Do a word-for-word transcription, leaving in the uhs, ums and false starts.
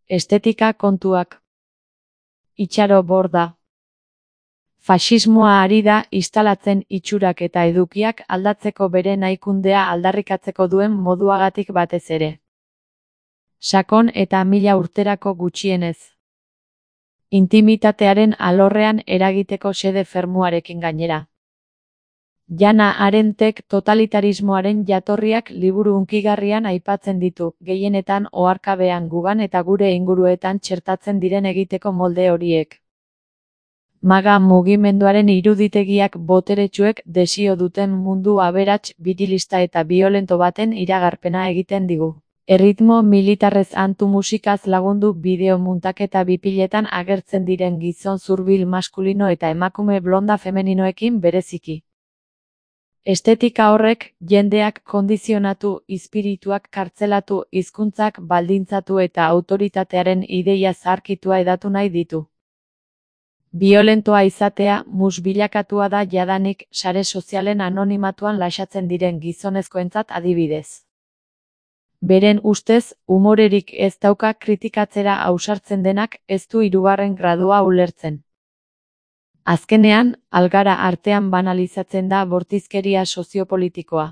Estetika kontuak. Itxaro Borda. Faxismoa ari da instalatzen itxurak eta edukiak aldatzeko bere nahikundea aldarrikatzeko duen moduagatik batez ere. Sakon eta mila urterako gutxienez. Intimitatearen alorrean eragiteko xede fermuarekin gainera. Jana Arentek totalitarismoaren jatorriak liburu hunkigarrian aipatzen ditu, gehienetan oharkabean gugan eta gure inguruetan txertatzen diren egiteko molde horiek. Maga mugimenduaren iruditegiak boteretsuek desio duten mundu aberats, birilista eta biolento baten iragarpena egiten digu. Erritmo militarrez antu musikaz lagundu bideo muntaketa bipiletan agertzen diren gizon zurbil maskulino eta emakume blonda femeninoekin bereziki. Estetika horrek jendeak kondizionatu, izpirituak kartzelatu, hizkuntzak baldintzatu eta autoritatearen ideia zaharkitua hedatu nahi ditu. Biolentoa izatea mus bilakatua da jadanik sare sozialen anonimatuan laxatzen diren gizonezkoentzat adibidez. Beren ustez, umorerik ez dauka kritikatzera ausartzen denak ez du hirugarren gradua ulertzen. Azkenean, algara artean banalizatzen da bortizkeria soziopolitikoa.